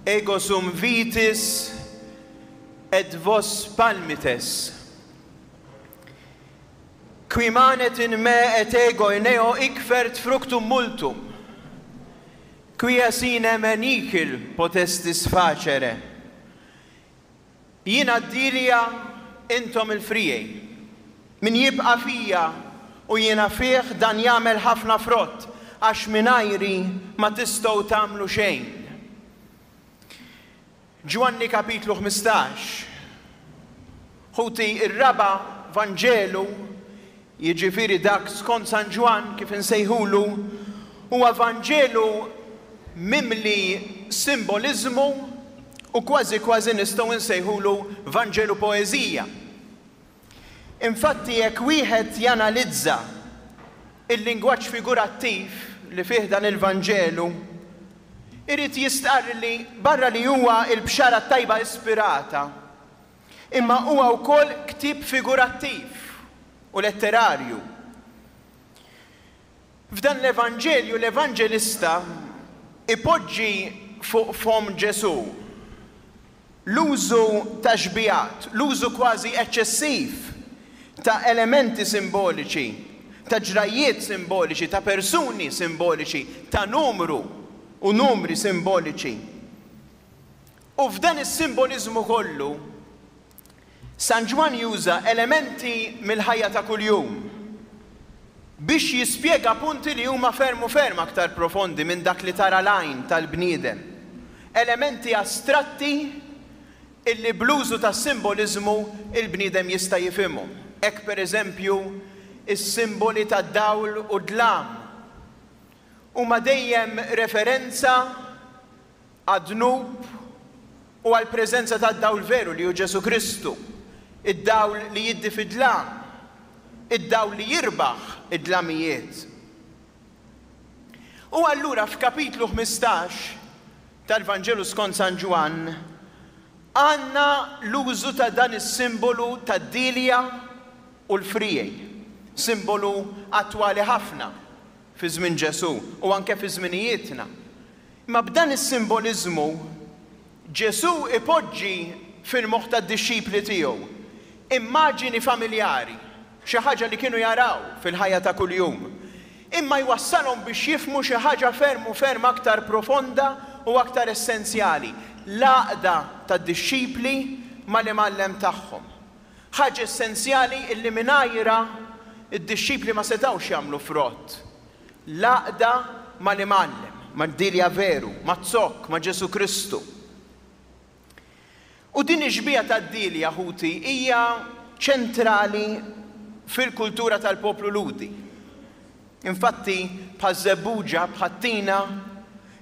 Ego sum vitis et vos palmites. Qui manet in me et ego in eo hic fert fructum multum. Quia sine me nihil potestis facere. Jiena d-dielja, intom il-friegħi. Min jibqa' fija u jiena fih dan jagħmel ħafna frott, għax mingħajri ma tistgħu tagħmlu xejn. Ġwanni kapitlu 15. Ħuti, ir-raba' Vanġelu, jiġifieri dak skont San Ġwann kif insejħulu, huwa Vanġelu mimli simboliżmu u kważi kważi nistgħu nsejħulu Vanġelu poeżija. Infatti jekk wieħed janalizza l-lingwaġġ figurattiv li fih dan il-Vanġelu, irid jistqarr li barra li huwa l-Bxara t-Tajba ispirata, Imma huwa wkoll ktieb figurattiv u letterarju. F'dan l-Evanġelju l-Evanġelista jpoġġi fuq fomm Ġesù l-użu ta' xbihat, l-użu kważi eċċessiv ta' elementi simboliċi, ta' ġrajjiet simboliċi, ta' persuni simboliċi, ta' numru u numri simboliċi. U f'dan is-simboliżmu kollu, San Ġwann juża elementi mill-ħajja ta' kuljum biex jispjega punti li huma ferm u ferm aktar profondi minn dak li tara l-għajn tal-bniedem, elementi astratti illi bl-użu tas-simboliżmu l-bniedem jista' jifhimhom. Hekk per eżempju, is-simboli tad-dawl u d-dlam huma dejjem referenza għad-dnub u għall-preżenza tad-dawl veru li hu Ġesù Kristu, id-dawl li jiddi fid-dlam, id-dawl li jirbaħ id-dlamijiet. U allura f'kapitlu 15 tal-Vanġelu skont San Ġwann għandna l-użu ta' dan is-simbolu tad-dielja u l-friegħi, simbolu attwali ħafna fi żmien Ġesù u anke fi żminijietna. Imma b'dan is-simboliżmu, Ġesù jpoġġi fil-moħħ tad-dixxipli tiegħu immaġini familjari, xi ħaġa li kienu jaraw fil-ħajja ta' kuljum, imma jwassalhom biex jifhmu xi ħaġa ferm u ferm aktar profonda u aktar essenzjali, l-għaqda tad-dixxipli mal-Imgħallem tagħhom. Ħaġa essenzjali illi mingħajrha d-dixxipli ma setgħux jagħmlu frott. L-għaqda mal-Imgħallem, mad-dielja veru, maz-zokk, ma' Ġesù Kristu. U din ix-xbieha tad-dielja, ħuti, hija ċentrali fil-kultura tal-poplu Lhudi. Infatti, bħaż-żebbuġa, bħat-tina,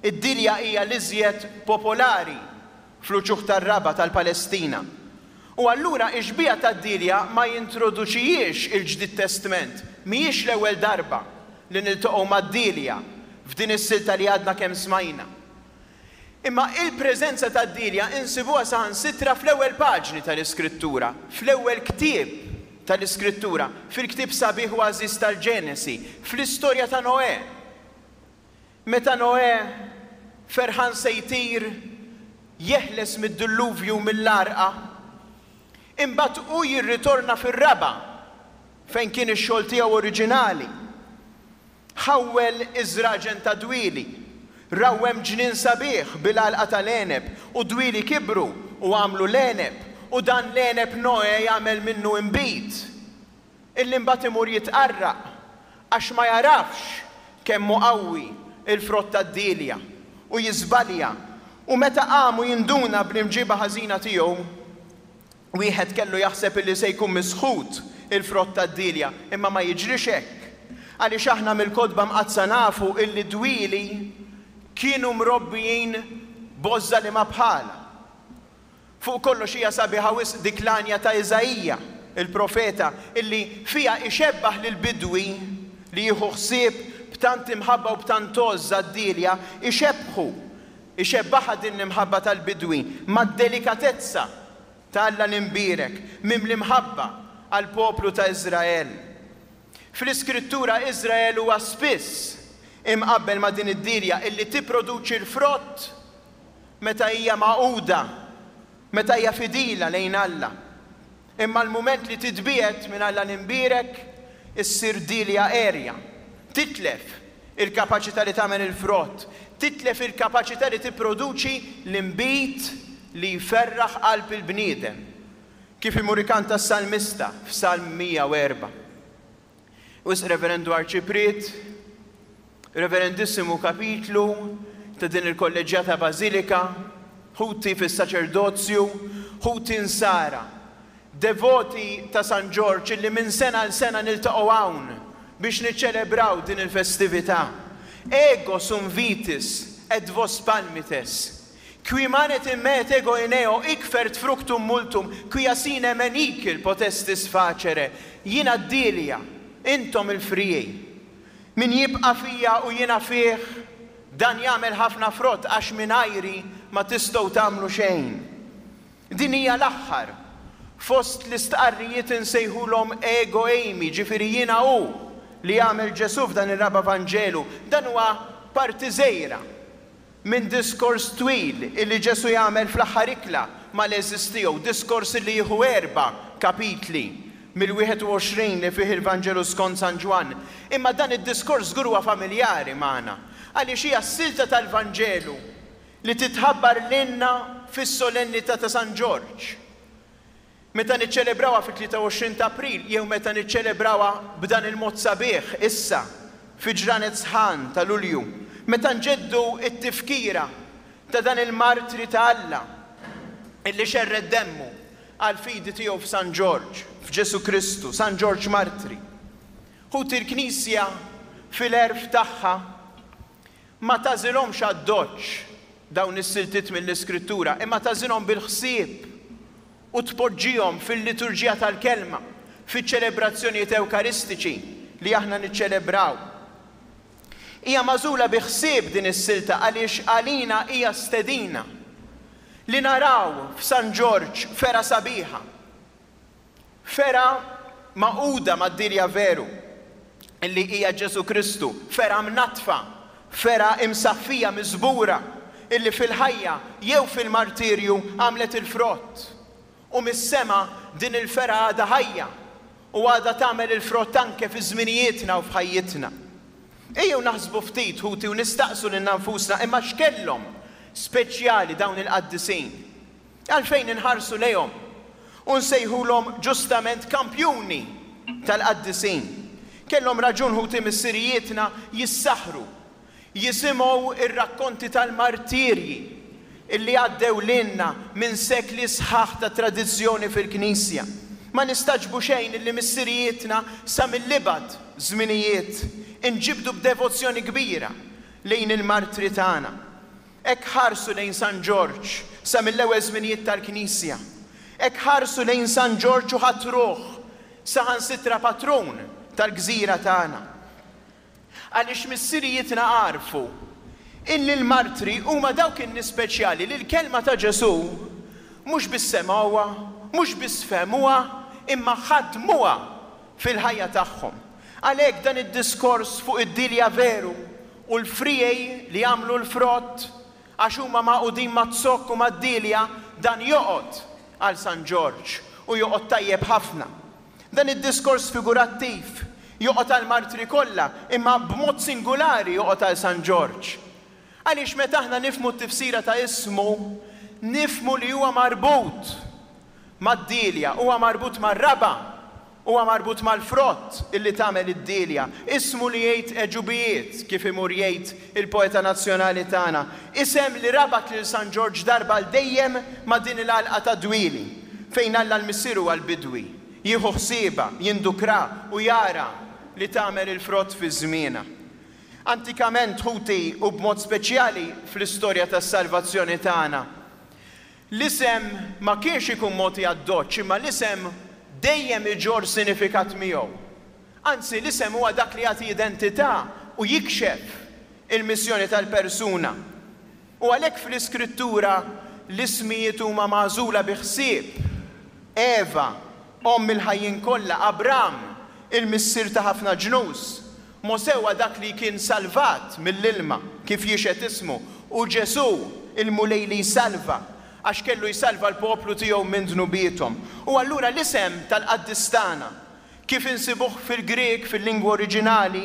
id-dielja hija l-iżjed popolari fl-uċuħ tar-raba' tal-Palestina. U allura x-xbieha tad-dielja ma jintroduċihiex il-Ġdid Testment, mhijiex l-ewwel darba li niltaqgħu mad-dielja f'din is-silta li għadna kemm smajna. Imma il-preżenza tad-dielja insibuha saħansitra fl-ewwel paġni tal-Iskrittura, fl-ewwel ktieb tal-Iskrittura, fil-ktieb sabiħ u għażiż tal-Ġenesi, fl-istorja ta' Noè. Meta Noè, ferħan se jtir, jeħles mid-dilluvju u mill-għarqa, imbagħad hu jirritorna fir-raba' fejn kien ix-xogħol tiegħu oriġinali. Ħawwel iż-żraġen tad-dwieli, rawwem ġnien sabiħ bil-għalqa tal-għeneb, u d-dwieli kibru u għamlu l-għeneb, u dan l-għeneb Noè jagħmel minnu inbid. Illi mbagħad imur jitqarraq għax ma jagħrafx kemm hu qawwi l-frott tad-dielja u jiżbalja u meta qam u jinduna bl-imġiba ħażina tiegħu, wieħed kellu jaħseb illi se jkun misħut il-frott tad-dielja, imma ma jiġrix hekk. Għaliex aħna mill-Kotba Mqaddsa nafu illi d-dwieli kienu mrobbijin b'għożża li ma bħalha. Fuq kollox hija sabiħa wisq dik l-għanja ta' Iżaija, il-profeta, illi fiha ixebbaħ lill-bidwi li jieħu ħsieb b'tant imħabba u b'tant għożża d-dielja, ixebbħu, ixebbaħha din l-imħabba tal-bidwi mad-delikatezza ta' Alla l-Imbierek, mimli mħabba għall-poplu ta' Iżrael. Fl-Iskrittura Iżrael huwa spiss imqabbel ma' din id-dielja illi tipproduċi l-frott. meta hija magħquda, meta hija fidila lejn Alla. Imma l-mument li titbiegħed minn Alla l-Imbierek, issir dielja għerja. Titlef il-kapaċità li tagħmel il-frott, titlef il-kapaċità li tipproduċi l-inbid li jferraħ qalb il-bniedem, kif imur ikanta s-salmista f'Salm 104. Wisq Reverendu Arċipriet, Reverendissimu Kapitlu ta' din il-Kolleġġjata Bażilika, ħuti fis-saċerdozju, ħuti Nsara, devoti ta' San Ġorġ illi minn sena għal sena niltaqgħu hawn biex niċċelebraw din il-festività. Ego sum vitis et vos palmites. Qui manet in me et ego in eo, hic fert fructum multum, quia sine me nihil potestis facere, Jiena d-dielja, intom il-friegħi. Min jibqa' fija u jiena fih, dan jagħmel ħafna frott għax mingħajri ma tistgħu tagħmlu xejn. Din hija l-aħħar fost l-istqarrijiet insejħulhom ego eimi, ġifieri jiena hu, li għamel Ġesù f'dan ir-raba' Vanġelu. Dan huwa parti żgħira minn diskors twil illi Ġesù jagħmel fl-aħħar ikla mal-għeżież tiegħu, diskors illi jieħu erba' kapitli mill-21 li fih il-Vanġelu skont San Ġwann. Imma dan id-diskors żgur huwa familjari magħna, għaliex hija s-silta tal-Vanġelu li titħabbar lilna fis-solennità ta' San Ġorġ. Meta niċċelebrawha fit-23 ta' April jew meta niċċelebrawha b'dan il-mod sabiħ issa fi ġranet sħan ta' Lulju, meta nġeddu t-tifkira ta' dan il-martri ta' Alla illi xerred demmu għall-fidi tiegħu f'San Ġorġ, f'Ġesù Kristu, San Ġorġ Martri. Ħuti l-Knisja fil-għerf tagħha ma tagħżilhomx addoċċ dawn is-siltiet mill-Iskrittura, imma tagħżilhom bil-ħsieb u tpoġġihom fil-liturġija tal-Kelma, fiċ-ċelebrazzjonijiet Ewkaristiċi li aħna niċċelebraw. Hija magħżula bi ħsieb din is-silta għaliex għalina hija stedina li naraw f'San Ġorġ fergħa sabiħa, Fergħa magħquda mad-dirja veru, li hija Ġesù Kristu, fergħa mnaddfa, fergħa imsaffija, miżbura, illi fil-ħajja jew fil-martirju għamlet il-frott. U mis-sema din il-fergħa għadha ħajja u għadha tagħmel il-frott anke fi żminijietna u f'ħajjitna. Ejjew naħsbu ftit, ħuti, u nistaqsu lilna nfusna, imma x'kellhom speċjali dawn il-qaddisin? Għalfejn inħarsu lejhom u nsejħulhom ġustament kampjuni tal-qaddisin? Kellhom raġun ħuti missirijietna jissaħħru jisimgħu r-rakkonti tal-martirji li għaddew lilna minn sekli sħaħ ta' tradizzjoni fil-Knisja. Ma nistagħġbu xejn illi missirijietna sa mill-ibgħad żminijiet inġibdu b'devozzjoni kbira lejn il-martri tagħna. Hekk ħarsu lejn San Ġorġ sa mill-ewwel żminijiet tal-Knisja. Hekk ħarsu lejn San Ġorġ u ħatruh saħansitra patrun tal-gżira tagħna. Għaliex missirijietna għarfu illi l-martri huma dawk in-nies speċjali li l-kelma ta' Ġesù mhux biss semgħuha, mhux biss fehmuha, imma ħadmuha fil-ħajja tagħhom. Għalhekk dan id-diskors fuq id-dielja veru u l-friegħi li jagħmlu l-frott għax huma magħqudin maz-zokk u mad-dielja, dan joqgħod għal San Ġorġ u joqgħod tajjeb ħafna. Dan id-diskors figurattiv joqgħod għall-martri kollha, imma b'mod singulari joqgħod għal San Ġorġ. Għaliex meta aħna nifhmu t-tifsira ta' ismu, nifhmu li huwa marbut mad-dielja, huwa marbut mar-raba', huwa marbut mal-frott illi tagħmel id-dielja. Ismu li jgħid għeġubijiet, kif imur jgħid il-poeta nazzjonali tagħna. Isem li rabat lil San Ġorġ darba għal dejjem ma' din il-għalqa tad-dwieli, fejn Alla l-Missier huwa l-bidwi, jieħu ħsiebha, jindukra u jara li tagħmel il-frott fi żmienha. Antikament, ħuti, u b'mod speċjali fl-istorja tas-salvazzjoni tagħna, L-isem ma kienx ikun mogħti addoċċ imma l-isem dejjem iġorr sinifikat miegħu. Anzi, l-isem huwa dak li jagħti identità u jikxef il-missjoni tal-persuna. U għalhekk fl-Iskrittura l-ismijiet huma magħżula bi ħsieb, Eva, omm il-ħajjin kollha, Abram, il-missier ta' ħafna ġnus, Mosè huwa dak li kien salvat mill-ilma, kif jixhed ismu, u Ġesù, il-Mulej li jsalva, għax kellu jsalva l-poplu tiegħu minn dnubiethom. U allura l-isem tal-qaddis tagħna, kif insibuh fil-Grieg, fil-lingwa oriġinali,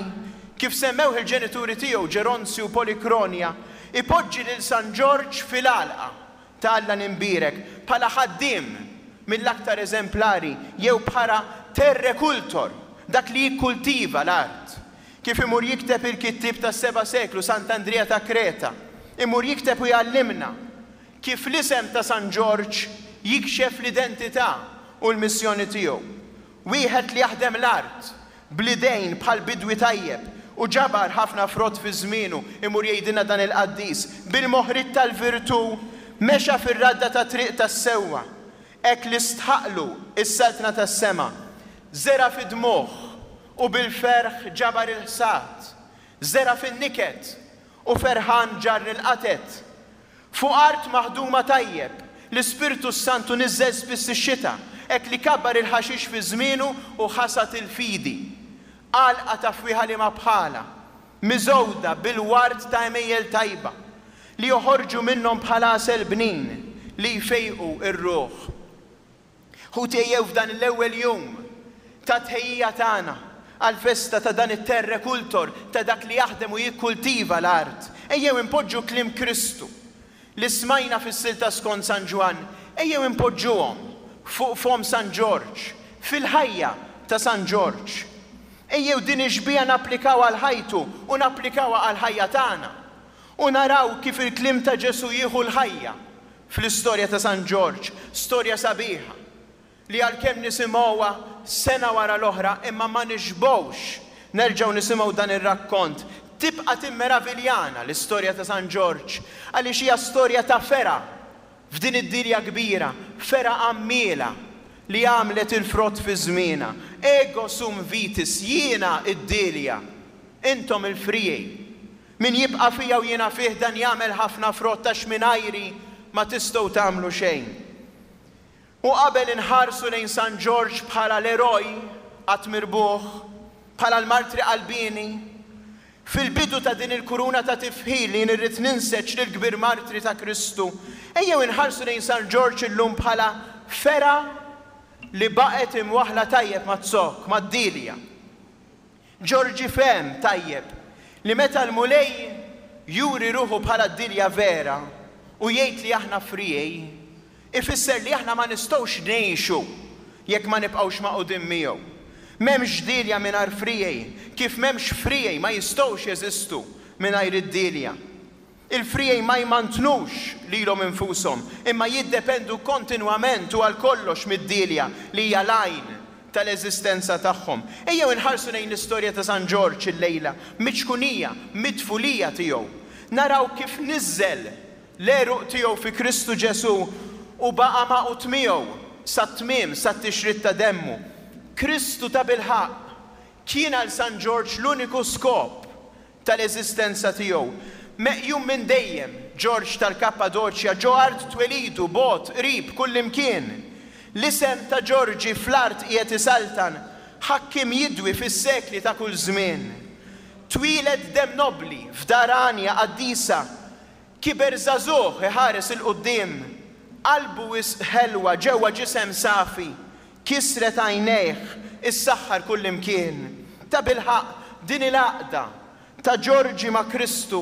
kif semmewh il-ġenituri tiegħu Ġeronzju u Polikronja, ipoġġi lil San Ġorġ fil-għalqa ta' Alla l-Imbierek bħala ħaddiem mill-aktar eżemplari jew bħala terrecultor, dak li jikkultiva l-art. Kif imur jikteb il-kittieb tas-seba' seklu Sant'Andrija ta' Kreta, imur jikteb u jgħallimna kif l-isem ta' San Ġorġ jikxef l-identità u l-missjoni tiegħu. Wieħed li jaħdem l-art bl-idejn bħal bidwi tajjeb u ġabar ħafna frott fi żmienu, imur jgħidilna dan il-qaddis, bil-moħriet tal-virtù mexa fir-radda tat-triq tas-sewwa, hekk li stħaqqlu s-saltna tas-sema. Żera' fid-dmugħ u bil-ferħ ġabar il-ħsad, żera' fin-niket u ferħan ġarr il-qatet. Fuq art maħduma tajjeb, l-Ispirtu s-Santu niżżel spiss ix-xita, hekk li kabbar il-ħaxix fi żmienu u ħasad il-fidi. Għalqa ta' fwieħa liema bħalha, miżgħuda bil-ward ta' għemejjel tajba, li joħorġu minnhom bħal għasel bnin li jfejqu r-ruħ. Ħuti ejjew f'dan l-ewwel jum ta' tħejjija tagħna għall-festa ta' dan it-terrecultor, ta' dak li jaħdem u jikkultiva l-art, ejjew inpoġġu kliem Kristu li smajna fis-silta skont San Ġwann, ejjew inpoġġuhom fuq fomm San Ġorġ, fil-ħajja ta' San Ġorġ. Ejjew din ix-xbieha napplikawha għal ħajtu u napplikawha għall-ħajja tagħna u naraw kif il-kliem ta' Ġesù jieħu l-ħajja fl-istorja ta' San Ġorġ, storja sabiħa li għalkemm nisimgħuha sena wara l-oħra imma ma nixbgħux nerġgħu nisimgħu dan ir-rakkont. Tibqa' timmeraviljana l-istorja ta' San Ġorġ għaliex hija storja ta' fergħa f'din id-dinja kbira, fergħa għammiela li għamlet il-frott fi żmienha. Ego sum vitis, jiena d-dielja, intom il-friegħi. Min jibqa' fija u jiena fih dan jagħmel ħafna frott għax mingħajri ma tistgħu tagħmlu xejn. U qabel inħarsu lejn San Ġorġ bħala l-eroj qatt mirbuħ, bħala l-martri qalbieni, fil-bidu ta' din il-kuruna ta' tifħir li jien irrid ninseġ lill-kbir martri ta' Kristu, ejjew inħarsu lejn San Ġorġ illum bħala fergħa li baqgħet imwaħħla tajjeb maz-zokk, mad-dielja. Ġorġi fehem tajjeb li meta l-Mulej juri ruħu bħala d-dielja vera u jgħid li aħna friegħi, ifisser li aħna ma nistgħux ngħixu jekk ma nibqgħux magħqudin miegħu. M'hemmx dielja mingħajr friegħi, kif m'hemmx friegħi ma jistgħux jeżistu mingħajr id-dielja. Il-friegħi ma jmantnux lilhom infushom, imma jiddependu kontinwament u għal kollox mid-dielja li hija l-għajn tal-eżistenza tagħhom. Ejjew inħarsu lejn l-istorja ta' San Ġorġ illejla, miċ-ċkunija, mit-tfulija tiegħu. Naraw kif niżżel l-għeruq tiegħu fi Kristu Ġesù u baqa' magħqud miegħu sat-tmiem, sat-tixrid ta' demmu. Kristu tabilħaqq kien għal San Ġorġ l-uniku skop tal-eżistenza tiegħu. Meqjum minn dejjem, Ġorġ tal-Kappadoċja, ġo art twelidu, bogħod, qrib, kullimkien. L-isem ta' Ġorġi fl-art qiegħed isaltan, ħakkiem jidwi fis-sekli ta' kull żmien. Twieled demm nobbli, f'dar għanja qaddisa, Kiber żagħżugħ iħares 'il quddiem, qalbu wisq ħelwa ġewwa ġisem safi, kisret għajnejh, issaħħar kullimkien. Tabilħaqq, din il-għaqda ta' Ġorġi ma' Kristu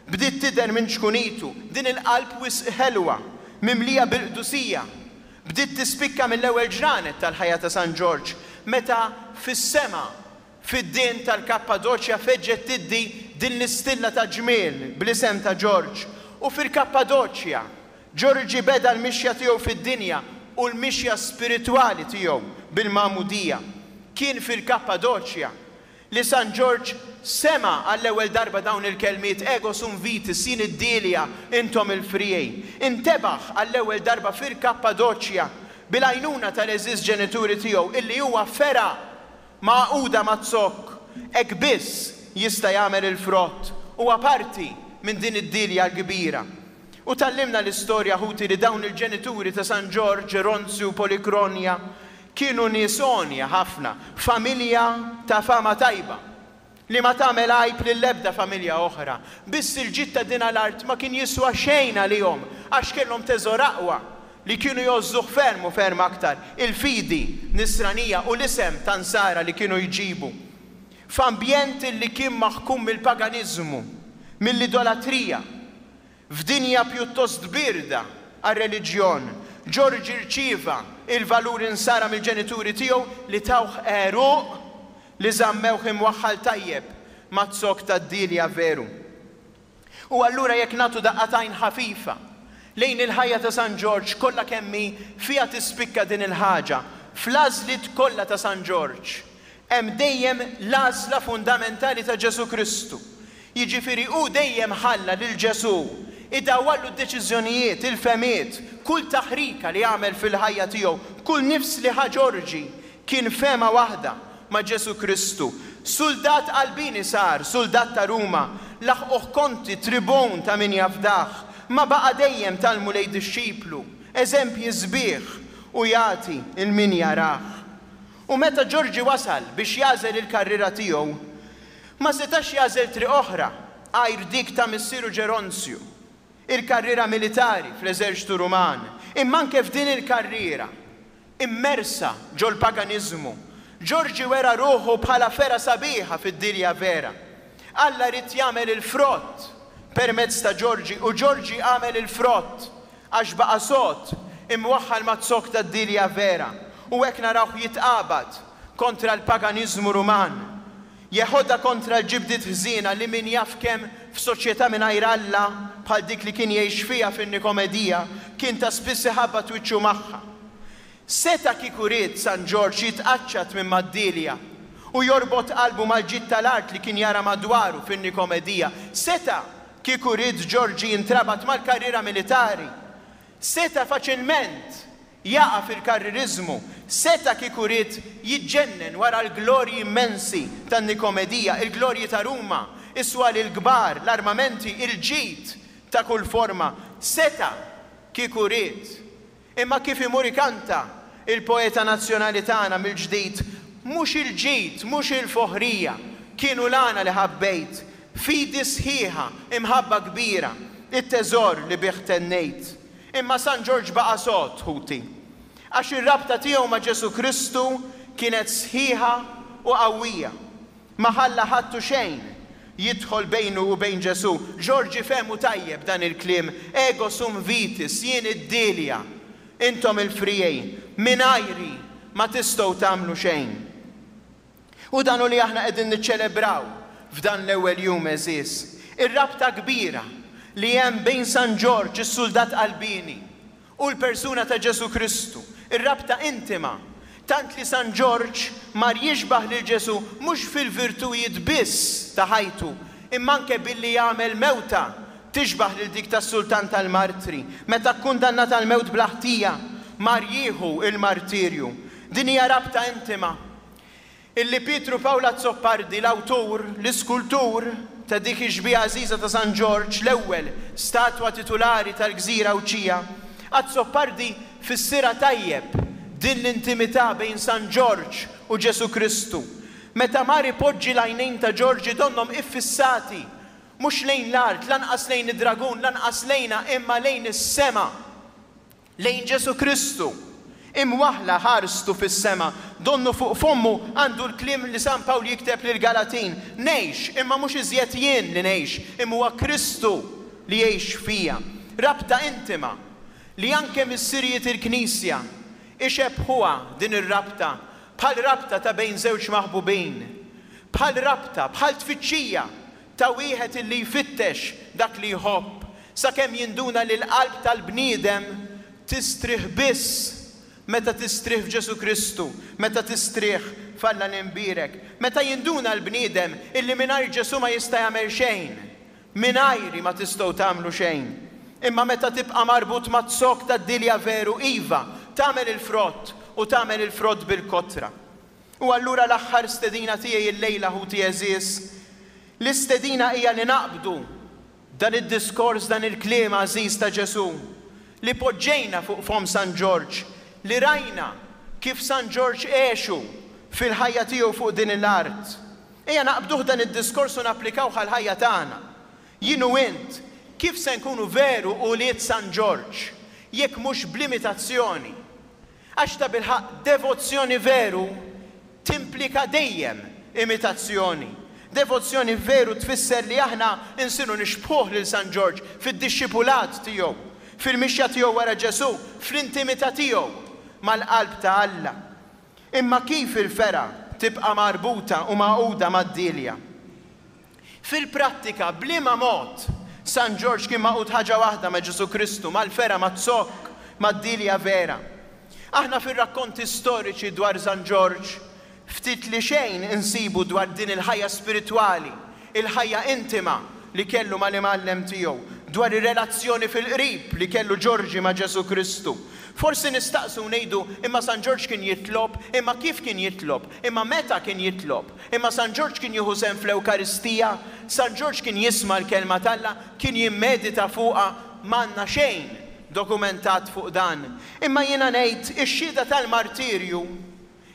bdiet tidher minn ċkunitu, din il-qalb wisq ħelwa, mimlija bil-qdusija, bdiet tispikka mill-ewwel ġranet tal-ħajja ta' San Ġorġ, meta fis-sema Fid-dien tal-Kappadoċja feġġet tiddi din l-istilla ta' ġmiel bl-isem ta' Ġorġ, u fil-Kappadoċja, Ġorġi beda l-mixja tiegħu fid-dinja u l-mixja spiritwali tiegħu bil-magħmudija. Kien fil-Kappadoċja li San Ġorġ sema' għall-ewwel darba dawn il-kelmiet, Ego sum vitis, jien id-dielja, intom il-friegħi. Intebaħ għall-ewwel darba fil-Kappadoċja bil-għajnuna tal-għeżież ġenituri tiegħu illi huwa fergħa Magħquda maz-zokk, hekk biss jista' jagħmel il-frott, huwa parti minn din id-dielja l-kbira. U tgħallimna l-istorja, ħuti, li dawn il-ġenituri ta' San Ġorġ, Ronzju u Polikronja kienu nies għonja ħafna, familja ta' fama tajba. li ma tagħmel għajb lill-ebda familja oħra. Biss il-ġid ta' din l-art ma kien jiswa xejn għalihom għax kellhom teżor aqwa li kienu jgħożżuh ferm u ferm aktar, il-fidi Nisranija u l-isem ta' Nsara li kienu jġibu. F'ambjent li kien maħkum mill-paganiżmu, mill-idolatrija, F'dinja pjuttost bierda għar-reliġjon, Ġorġi rċieva l-valuri Nsara mill-ġenituri tiegħu li tawh għeruq li żammewh imwaħħal tajjeb maz-zokk tad-dielja veru. U allura jekk nagħtu daqqa t'għajn ħafifa lejn il-ħajja ta' San Ġorġ kollha kemm hi fiha tispikka din il-ħaġa, fl-għażliet kollha ta' San Ġorġ, Hemm dejjem l-għażla fundamentali ta' Ġesù Kristu. Jiġifieri hu dejjem ħalla lil Ġesù idawwarlu d-deċiżjonijiet, il-fehmiet, kull taħrika li għamel fil-ħajja tiegħu, kull nifs li ħa Ġorġi kien fehma waħda ma' Ġesù Kristu. Suldat qalbieni sar, suldat ta' Ruma, laħquh konti, tribun ta' min jafdah, ma baqa' dejjem tal-Mulej dixxiplu, eżempji sbieħ u jagħti 'l min jarah. U meta Ġorġi wasal biex jagħżel il-karriera tiegħu, ma setax jagħżel triq oħra għajr dik ta' missieru Ġeronzju, il-karriera militari fl-eżerċtu Ruman. Imma anke f'din il-karriera, immersa ġol-paganiżmu, Ġorġi wera ruħu bħala fergħa sabiħa fid-dinja vera. Alla ried jagħmel il-frott permezz ta' Ġorġi u Ġorġi għamel il-frott. Għax baqa' sod, imwaħħal maz-zokk tad-dielja vera, u hekk narawh jitqabad kontra l-paganiżmu Ruman. Jeħodha kontra l-ġibdiet ħżiena li min jaf kemm f'soċjetà mingħajr Alla bħal dik li kien jgħix fiha fin-Nikomedija kien ta' spiss iħabbat wiċċu magħha. Seta' kieku ried San Ġorġ jitqaċċat minn mad-dielja u jorbot qalbu mal-ġid tal-art li kien jara madwaru fin-Nikomedija. Seta' Kieku ried Ġorġi jintrabat mal-karriera militari, seta' faċilment jaqa' fil-karririżmu, seta' kieku ried jiġġennen wara l-glorji immensi tan-Nikomedija, il-glorji ta' Ruma, is-swali l-kbar, l-armamenti, il-ġid ta' kull forma, seta' kieku ried. Imma kif imur ikanta il-poeta nazzjonali tagħna mill-ġdid, Mhux il-ġid, mhux il-foħrija, kienu l-għana li ħabbejt, fidi sħiħa, imħabba kbira, it-teżor li bih tennejt. Imma San Ġorġ baqa' sod, ħuti. Għax ir-rabta tiegħu ma' Ġesù Kristu kienet sħiħa u qawwija. Ma ħalla ħadd u xejn jidħol bejnu u bejn Ġesù. Ġorġi fehmu tajjeb dan il-kliem, Ego sum vitis, jien id-dielja, intom il-friegħi, mingħajri ma tistgħu tagħmlu xejn. U dan hu li aħna qegħdin niċċelebraw f'dan l-ewwel jum għeżież, ir-rabta kbira li hemm bejn San Ġorġ, is-suldat qalbieni, u l-persuna ta' Ġesù Kristu, ir-rabta intima, tant li San Ġorġ mar jixbah lil Ġesù mhux fil-virtujiet biss ta' ħajtu, imma anke billi għamel mewta tixbah lil dik tas-Sultan tal-Martri, meta kkundannat għall-mewt bla ħtija, mar jieħu l-martirju. Din hija rabta intima. Illi Pietru Pawl Azzopardi, l-awtur, l-iskultur, ta' dik ix-xbieha għażiża ta' San Ġorġ, l-ewwel statwa titulari tal-gżira Għawdxija, Azzopardi fissirha tajjeb din l-intimità bejn San Ġorġ u Ġesù Kristu, meta mar ipoġġi l-għajnejn ta' Ġorġi donnhom iffissati mhux lejn l-art, lanqas lejn id-dragun, lanqas lejna, imma lejn is-sema. Lejn Ġesù Kristu, imwaħħla ħarstu fis-sema, donnu fuq fommu għandu l-kliem li San Pawl jikteb lill-Galatin, Ngħix, imma mhux iżjed jien li ngħix, imma huwa Kristu li jgħix fija. Rabta intima li anke missirijiet il-Knisja ixebbħuha din ir-rabta bħal rabta ta' bejn żewġ maħbubin, bħal rabta, bħal tfittxija ta' wieħed illi jfittex dak li jħobb, sakemm jinduna li l-qalb tal-bniedem tistrieħ biss meta tistrieħ f'Ġesù Kristu, meta tistrieħ f'Alla l-Imbierek, meta jinduna l-bniedem illi mingħajr Ġesù ma jista' jagħmel xejn, mingħajri ma tistgħu tagħmlu xejn. Imma meta tibqa' marbut maz-zokk tad-dielja veru, iva, tagħmel il-frott u tagħmel il-frott bil-kotra. U allura l-aħħar stedina tiegħi illejla ħuti għeżież, l-istedina hija li naqbdu dan id-diskors, dan il-kliem għażiż ta' Ġesù, li poġġejna fuq fomm San Ġorġ, li rajna kif San Ġorġ għexu fil-ħajja tiegħu fuq din l-art. Ejja naqbduh dan id-diskors u napplikawh għall-ħajja tagħna. Jien u int, kif se nkunu veru ulied San Ġorġ, jekk mhux bl-imitazzjoni? Għax tabilħaqq devozzjoni veru timplika dejjem imitazzjoni. Devozzjoni veru tfisser li aħna nsiru nixbħuh lil San Ġorġ fid-dixxipulat tiegħu, fil-mixja tiegħu wara Ġesù, fl-intimità tiegħu mal-qalb ta' Alla. Imma kif il-fergħa tibqa' marbuta u magħquda mad-dielja? Fil-prattika, b'liema mod San Ġorġ kien magħqud ħaġa waħda ma' Ġesù Kristu, mal-fergħa, maz-zokk, mad-dielja vera? Aħna fir-rakkonti storiċi dwar San Ġorġ ftit li xejn insibu dwar din il-ħajja spiritwali, il-ħajja intima li kellu mal-Imgħallem tiegħu, dwar ir-relazzjoni fil-qrib li kellu Ġorġi ma' Ġesù Kristu. Forsi nistaqsu u ngħidu, imma San Ġorġ kien jitlob, imma kif kien jitlob, imma meta kien jitlob? Imma San Ġorġ kien jieħu sehem fl-Ewkaristija? San Ġorġ kien jisma' l-Kelma t'Alla? Kien jimmedita fuqha? M'għandna xejn dokumentat fuq dan. Imma jiena ngħid, ix-xhieda tal-martirju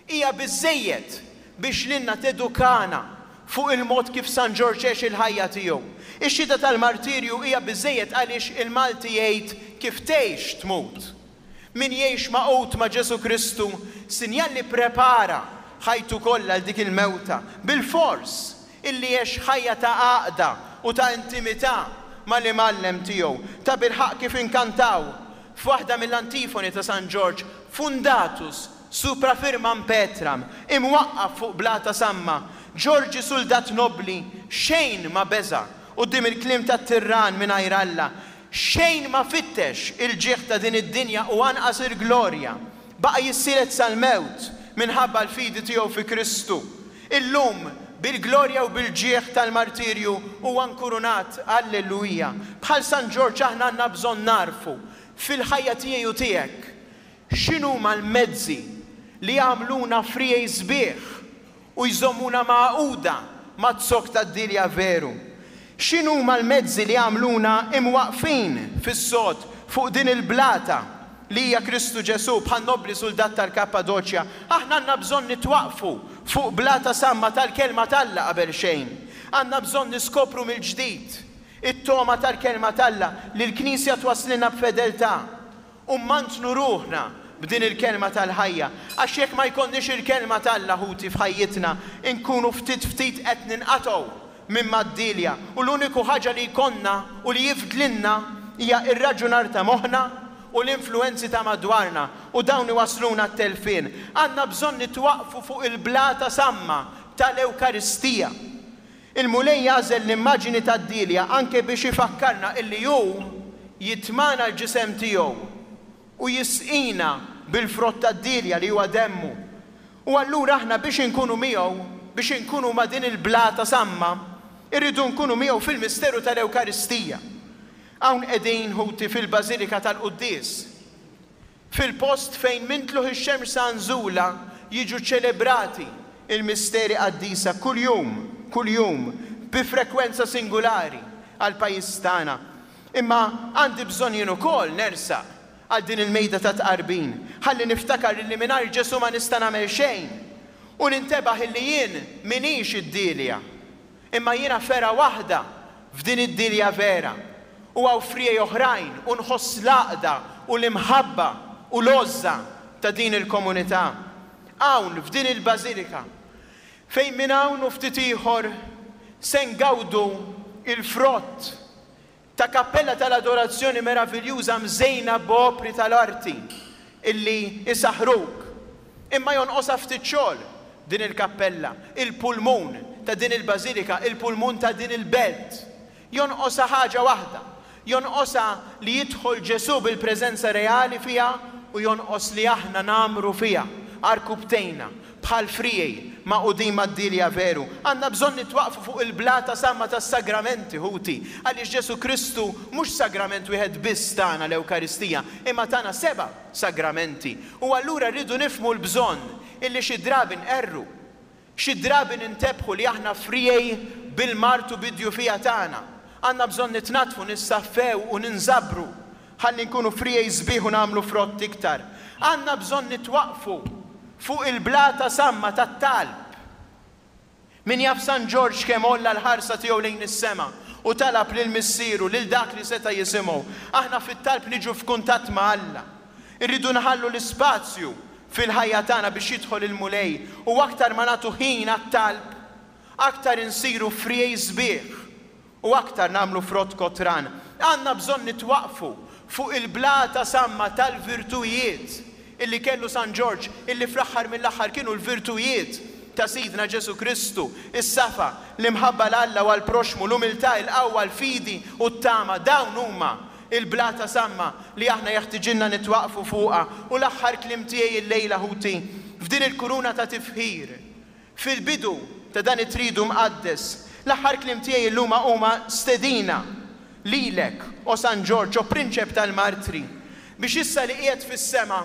hija biżżejjed biex lilna tedukana fuq il-mod kif San Ġorġ għex il-ħajja tiegħu. Ix-xhieda tal-martirju hija biżżejjed għaliex il-Malti jgħid kif tgħix tmut. Min jgħix magħqud ma' Ġesù Kristu, sinjal li pprepara ħajtu kollha għal dik il-mewta, bilfors illi għex ħajja ta' għaqda u ta' intimità mal-Imgħallem tiegħu. Tabilħaqq kif inkantaw f'waħda mill-antifoni ta' San Ġorġ, Fundatus supra firmam petram, imwaqqaf fuq blata samma, Ġorġi suldat nobbli, xejn ma beża' quddiem il-kliem tat-tirran mingħajr Alla, Xejn ma fittex il-ġieħ ta' din id-dinja u anqas il-glorja. Baqa' jissielet sal-mewt minħabba l-fidi tiegħu fi Kristu. Illum, bil-glorja u bil-ġieħ tal-martirju, huwa nkurunat. Alleluja! Bħal San Ġorġ aħna għandna bżonn nagħrfu, fil-ħajja tiegħi u tiegħek, x'inhuma l-mezzi li jagħmluna friegħi sbieħ u jżommuna magħquda maz-zokk tad-dielja veru? X'inhuma l-mezzi li jagħmluna imwaqqfin fis-sod fuq din il-blata li hija Kristu Ġesù bħan-nobbli suldat tal-Kappadoċja? Aħna għandna bżonn nitwaqqfu fuq blata samma tal-Kelma t'Alla qabelxejn. Għandna bżonn niskopru mill-ġdid it-togħma tal-Kelma t'Alla li l-Knisja twasslilna b'fedeltà. U mmantnu ruħna b'din il-Kelma tal-ħajja. Għax jekk ma jkollniex il-Kelma t'Alla, ħuti, f'ħajjitna, inkunu ftit ftit qed ninqatgħu minn mad-dielja u l-uniku ħaġa li jkollna u li jifdlilna hija r-raġunar ta' moħħna u l-influwenzi ta' madwarna u dawn iwassluna għat-telfien. Għandna bżonn nitwaqqfu fuq il-blata samma tal-Ewkaristija. Il-Mulej jagħżel l-immaġini tad-dielja anke biex ifakkarna illi hu jitmagħna l-ġisem tiegħu u jisqina bil-frott tad-dielja li huwa demmu. U allura aħna biex inkunu miegħu, biex inkunu ma' din il-blata samma, irridu nkunu miegħu fil-misteru tal-Ewkaristija. Hawn qegħdin, ħuti, fil-Bażilika tal-Quddies. Fil-post fejn minn tlugħ ix-xemx sa nżulha jiġu ċċelebrati l-misteri qaddisa kuljum, kuljum, bi frekwenza singulari għall-pajjiż tagħna. Imma għandi bżonn jien ukoll nersaq għal din il-mejda tat-tqarbin, ħalli niftakar illi mingħajr Ġesù ma nista' nagħmel xejn, u nintebaħ illi jien m'iniex id-dielja. Imma jiena fergħa waħda f'din id-dielja vera, u hawn friegħi oħrajn, u nħoss l-għaqda u l-imħabba u l-għożża ta' din il-komunità. Hawn, f'din il-bażilika, fejn minn hawn u ftit ieħor se ngawdu l-frott ta' kappella tal-adorazzjoni meraviljuża mżejna b'opri tal-arti illi jsaħħruk. Imma jonqosha ftit xogħol din il-kappella, il-pulmun ta' din il-bażilika, il-pulmun ta' din il-belt. Jonqosha ħaġa waħda, jonqosha li jidħol Ġesù bil-preżenza reali fiha u jonqos li aħna ngħammru fiha, għarkupptejna, Bħal friegħi magħqudin mad-dielja veru, għandna bżonn nitwaqqfu fuq il-blata samma tas-sagramenti, ħuti, għaliex Ġesù Kristu mhux sagrament wieħed biss tana, l-Ewkaristija, imma tana seba' sagramenti. U allura rridu nifhmu l-bżonn illi xi drabi nqerru, xi drabi nintebħu li aħna friegħi bil-mard u bid-djufija tagħna. Għandna bżonn nitnaddfu, nissaffew u ninżabru Ħalli nkunu friegħi sbieħ u nagħmlu frott iktar. Għandna bżonn nitwaqqfu fuq il-blata samma tat-talb. Min jaf San Ġorġ kemm għolla l-ħarsa tiegħu lejn is-sema u talab lil Missieru, lil dak li seta' jisimgħu. Aħna fit-talb niġu f'kuntatt ma' Alla. Irridu nħallu l-ispazju fil-ħajja tagħna biex jidħol il-Mulej u aktar ma nagħtu ħin għat-talb, aktar insiru friegħi sbieħ u aktar nagħmlu frott kotran. Għandna bżonn nitwaqqfu fuq il-blata samma tal-virtujiet illi kellu San Ġorġ, illi fl-aħħar mill-aħħar kienu l-virtujiet ta' Sidna Ġesù Kristu, is-safa, l-imħabba 'l Alla u għall-proxxmu, l-umiltà, il-qawwa, l-fidi u t-tama. Dawn huma l-blata samma li aħna jeħtiġilna nitwaqqfu fuqha. U l-aħħar kliem tiegħi illejla, ħuti, f'din il-kuruna ta' tifħir, Fil-bidu ta' dan it-Tridu Mqaddes, l-aħħar kliem tiegħi illuma huma stedina lilek, o San Ġorġ, o Prinċep tal-Martri, biex issa li qiegħed fis-sema,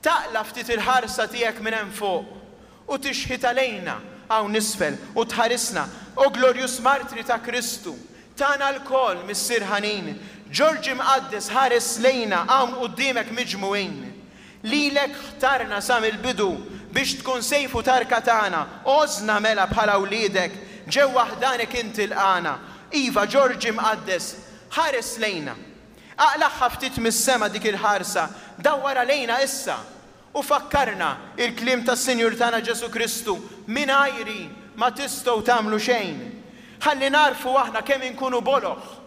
taqla' ftit il-ħarsa tiegħek minn hemm fuq u tixħitha lejna hawn isfel u tħarisna, o glorjuż Martri ta' Kristu, tagħna lkoll, Missier ħanin, Ġorġ Imqaddes ħares lejna hawn quddiemek miġmugħin. Lilek ħtarna sa mill-bidu biex tkun sejf u tarka tagħna, għożżna mela bħala wliedek, ġewwa ħdanek int ilqagħna. Iva, Ġorġ Imqaddes, ħares lejna. Aqlagħha ftit mis-sema dik il-ħarsa, dawwarha lejna issa, u fakkarna il-kliem tas-Sinjur tagħna Ġesù Kristu, Mingħajri ma tistgħu tagħmlu xejn. Ħalli nagħrfu aħna kemm inkunu boloh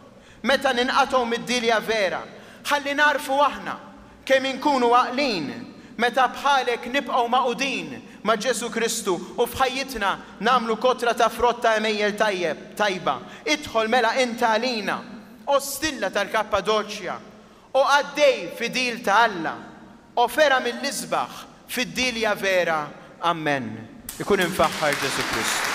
meta ninqatgħu mid-dielja vera. Ħalli nagħrfu aħna kemm inkunu għaqlin meta bħalek nibqgħu magħqudin ma' Ġesù Kristu u f'ħajjitna nagħmlu kotra ta' frott ta' għemejjel tajjeb, tajba. Idħol mela int għalina, o stilla tal-Kappadoċja, o qaddej fidil ta' Alla, o fergħa mill-isbaħ fid-dielja vera. Ammen. Ikun imfaħħar Ġesù Kristu.